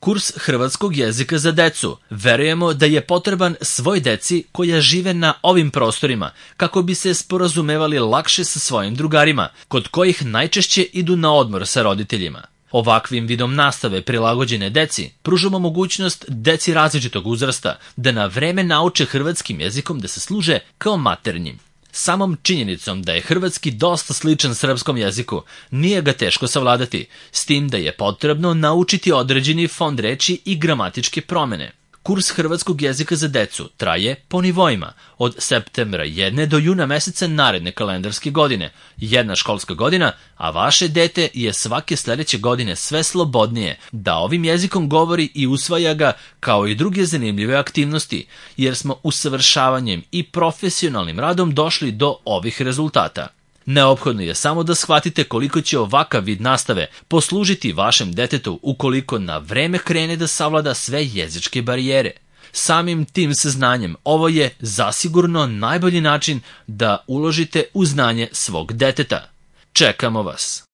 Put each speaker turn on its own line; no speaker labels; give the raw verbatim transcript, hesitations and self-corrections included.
Kurs hrvatskog jezika za decu. Verujemo da je potreban svoj deci koja žive na ovim prostorima kako bi se sporazumevali lakše sa svojim drugarima, kod kojih najčešće idu na odmor sa roditeljima. Ovakvim vidom nastave prilagođene deci pružamo mogućnost deci različitog uzrasta da na vreme nauče hrvatskim jezikom da se služe kao maternjim. Samom činjenicom da je hrvatski dosta sličan srpskom jeziku, nije ga teško savladati, s tim da je potrebno naučiti određeni fond reči i gramatičke promene. Kurs hrvatskog jezika za decu traje po nivoima, od septembra jedne do juna meseca naredne kalendarske godine, jedna školska godina, a vaše dete je svake sledeće godine sve slobodnije da ovim jezikom govori i usvaja ga kao i druge zanimljive aktivnosti, jer smo usavršavanjem i profesionalnim radom došli do ovih rezultata. Neophodno je samo da shvatite koliko će ovakav vid nastave poslužiti vašem detetu ukoliko na vreme krene da savlada sve jezičke barijere. Samim tim saznanjem ovo je zasigurno najbolji način da uložite u znanje svog deteta. Čekamo vas!